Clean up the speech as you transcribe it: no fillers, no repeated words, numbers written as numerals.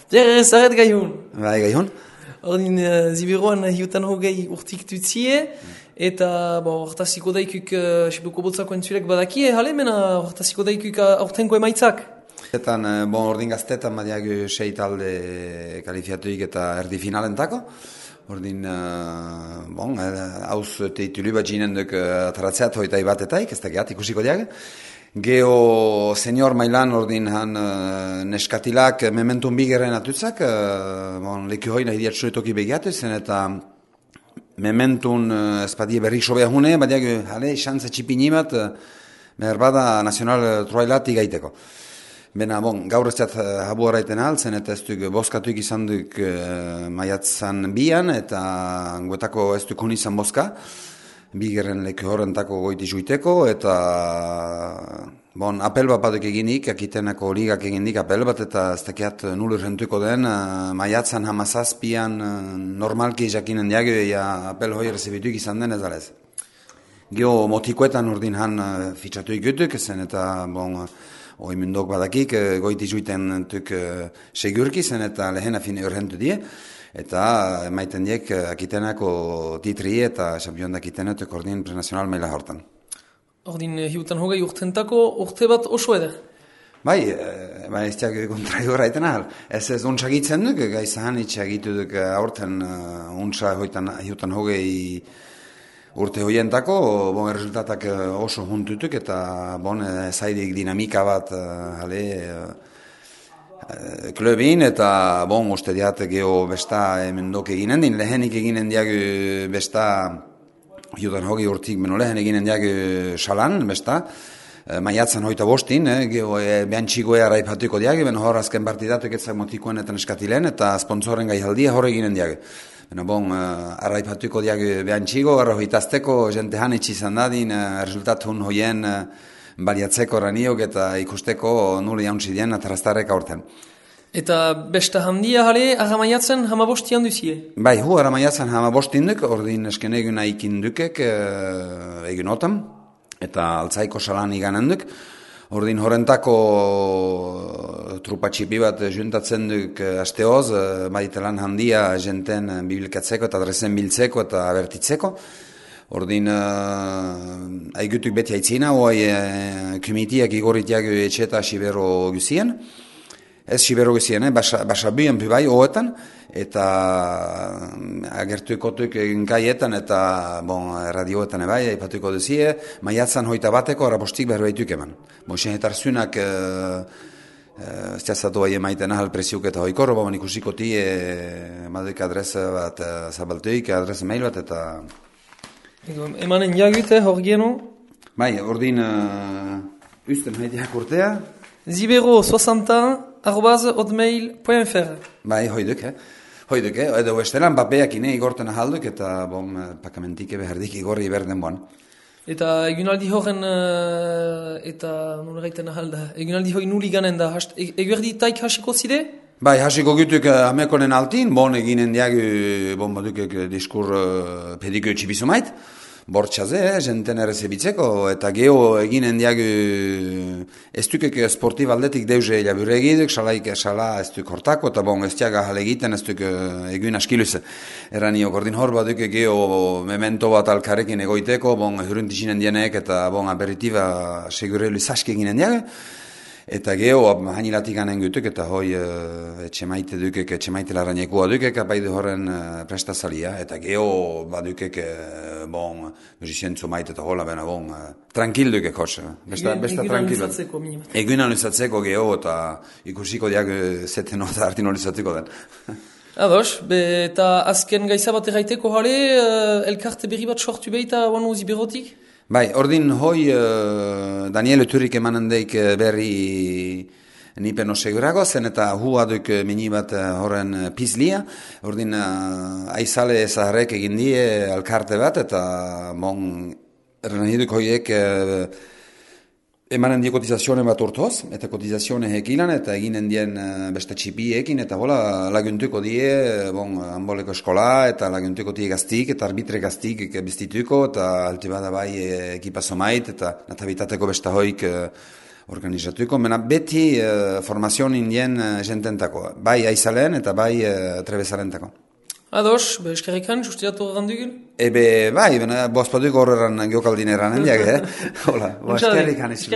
Zer, zaret gai hon. Bai, gai hon? Ordin, ziberoan hiutan hogei urtik dutzie, eta hortaziko daikuk, sebuko botzako entzulek badakie, hale, mena hortaziko daikuk aurtenko emaitzak. Ordin gaztetan badiak 6 talde kalifiatuik eta erdi finalentako. Ordin, hauz teitulu bat jinen duk ataratzeat hoitai batetaik, ez da gehat ikusiko diag. Geo senior mailan ordin han neskatilak mementun bigeren atutzak, leku hoi nahi diatxuretoki begiatu zen eta mementun espadie berrik sobea hune, badiak, xantza txipini bat, meherbada nazional troailat igaiteko. Bena, gaur ez zat habu horreiten altzen, eta ez duk boskatuik izan duk maiatzan bian, eta guetako ez duk honi izan boska, bigeren leku horrentako goiti juiteko, eta apel bat baduk eginik, akitenako ligak eginik apel bat, eta ez dakiat nulur rentuko den, maiatzan hamazazpian normalki jakinen diagio, apel hoi rezibituik izan den ez alez. Geo motikoetan ordin han fitxatuik gutuk, zen eta oimundok badakik, goiti juiten tuk segurki zen eta lehena fin urrentu die, eta maiten diek akitenako titri eta xampiondak akitenetuk ordin prenazional maila hortan. Ordin hiutan hogei urtentako urte bat oso eder? Bai, ez diak kontraio horreiten ahal. Ez untsagitzen duk, gaizahan itxagitu duk aurten untsa hiutan hogei urte hoientako, resultatak oso juntutuk eta zaidik dinamika bat klubin eta uste diat geho besta emendok eginen din, lehenik eginen diag besta hiutan hogei urtik beno lehen eginen diag salan besta, maiatzan hoita bostin, geho behan txigoea raipatuko diag, beno hor azken partidatuk etzak motikoen eta neskatilen eta sponsoren gai haldia hor eginen diag. Arraipatuko diag behan txigo, arrohitazteko, jente hanitz izan dadin, resultatun hoien baliatzeko raniok eta ikusteko nuli jauntzi dien ataraztarek aurten. Eta besta handia jale, aramaiatzen hamabostian duzie? Bai, aramaiatzen hamabostin duk, ordin esken egun aikin dukek egun otan, eta altzaiko salan iganen duk. Ordin horrentako trupatxipi bat juntatzen duk asteoz, baitelan handia jenten bibilkatzeko eta adrezen biltzeko eta abertitzeko. Ordin aigutuk beti haitzina, oai kumitiak igoritiak etxeta Sibero guzien. Ez Sibero guzien, basabuen bai hoetan, eta agertuikotuk gaietan eta radioetan bai, aipatuko duzie, maiatzan hoita bateko arabostik berbaituk eman. Moixen etarzunak ez jazatu bai emaiten ahal presiuk eta hoikor, ikusiko ti maduik adresa bat zabaltuik, adresa mail bat eta... Emanen jagute hor geno? Bai, ordin usten haitiak urtea. Zibero60@hotmail.fr Bai, hoiduk, edo estelan bapeak ine igorten ahalduk eta pakamentike behardik igorri berden boan. Eta egunaldi horren, eta nula gaiten ahalda, egunaldi hori nuli ganen da, eguerdi taik hasiko zide? Bai, hasiko gutuk amekonen altin, eginen diagu, badukek diskur pediko etxibizu mait, bortxaze, jenten errezebitzeko, eta geho eginen diagu ez dukek sportiv aldetik deuze labure egiduk, sala ez duk hortako, eta ez diaga jale egiten, ez duk egun askiluz. Eraniok, ordin hor badukek geho memento bat alkarekin egoiteko, hurruntizinen dienek, eta aperitiba segurelu zaske eginen diagu. Eta geho, hanilatik ganen gutuk, eta hoi etxemaite dukek, etxemaite larrainekua dukek, apaidu horren prestazalia. Eta geho, badukek, musicientzu maite eta hola, bena, tranquil dukek, hos. Besta tranquil. Egun anuizatzeko geho, eta ikusiko diak zeten eta artin anuizatzeko den. Ados, eta azken gaizabat erraiteko jale, elkarte berri bat sortu behita wanu ziberotik? Bai, ordin hoi Daniel Uturik emanen deik berri nipen osegurago, zen eta hua duk mini bat horren pizlia. Ordin aizale zaharrek egin die alkarte bat, eta reniduk hoiek emanen die kotizazione bat urtoz, eta kotizazione hekilan, eta eginen dien beste txipiekin, eta hola laguntuko die, hanboleko eskola, eta laguntuko die gaztik, eta arbitre gaztik biztituko, eta alti bada bai ekipazo mait, eta natabitateko besta hoik organizatuko, mena beti formazioan indien jententako, bai aizalean eta bai trebezalentako. Ados, eskerrikan, justiatu gandugun? Bai, bozpaduko horreran geokaldin eranen diag, Hola, eskerrikan ez.